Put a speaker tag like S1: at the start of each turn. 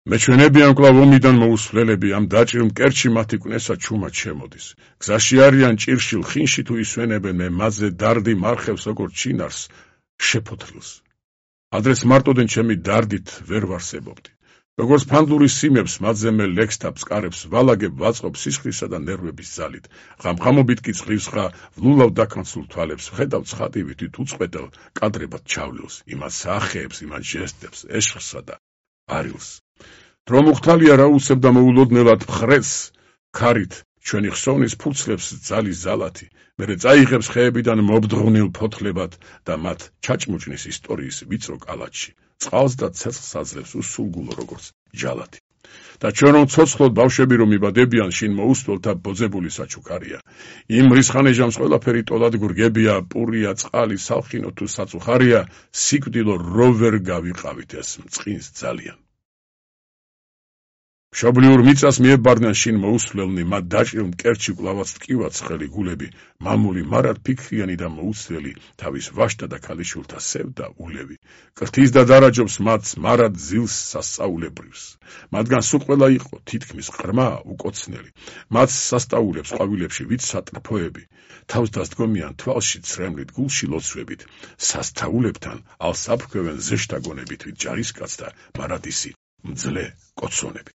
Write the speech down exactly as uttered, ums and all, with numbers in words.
S1: მეჩვენებიან კვლავ ომიდან მოუსვლელები, ამ დაჭრილ მკერდში მათი კვნესა ჩუმად შემოდის. გზაში არიან ჭირშილ ხინში თუ ისვენებენ, მე მათზე დარდი მარხევს როგორც ჩინარს შეფოთლილს. ადრეს მარტოდენ ჩემი დარდით ვერ ვარსებობდი. როგორც ფანდური სიმებს მათზე მე ლექს და ბსკარებს ვალაგებ ვაწყობ სისხლისა და ნერვების ძალით. ღამღამობით კი წყლივსხა ვლულავ დაქანცულ თვალებს ვხედავ ცხადივით უწყვეტელ კადრებად ჩავლილს, იმას სახეებს, იმას ჟესტებს, ეშხსა და არილს. დრო მუხთალია რა უცებ და მოულოდნელად ხრეს ქარით ჩვენი ხსოვნის ფურცლებს ძალის ზალათი, მერე წაიღებს ხეებიდან მობდღვნილ ფოთლებად და მათ ჩაჭმუჭნის ისტორიის ვიწრო კალათში, წყალს და ცეცხლს აძლევს უსულგულო როგორც ჯალათი. და ჩვენ რომ ცოცხლოდ ბავშვები რომ იბადებიან, შინ მოუსწველთ და ბოძებული საჩუქარია. იმ რისხანეჟამს ყველაფერი ტოლად გურგებია, პურია, წყალი, სალხინო თუ საწუხარია, სიკვდილო რო ვერ გავიყავით ეს მწყინს ძალიან. მშობლიურ მიწას მიებარდნენ შინ მოუსვლელნი, მათ დაჭრილ მკერდში კვლავაც ტკივაც ხელი გულები, მამული მარად ფიქრიანი და მოუცვლელი, თავის ვაჟთა და ქალიშვილთა სევდა ულევი. კრთის და დარაჯობს მათს მარად ზილს სასწაულებრივს. მათგან სულ ყველა იყო თითქმის ყრმა უკოცნელი. მათს სასწაულებს ყვავილებში ვით სატრფოები, თავს დასდგომიან თვალში ცრემლით, გულში ლოცვებით, სასწაულებთან ალს აფრქვევენ ზეშთაგონებით ვით ჯარისკაც და მარად ისი მძლე კოცონები.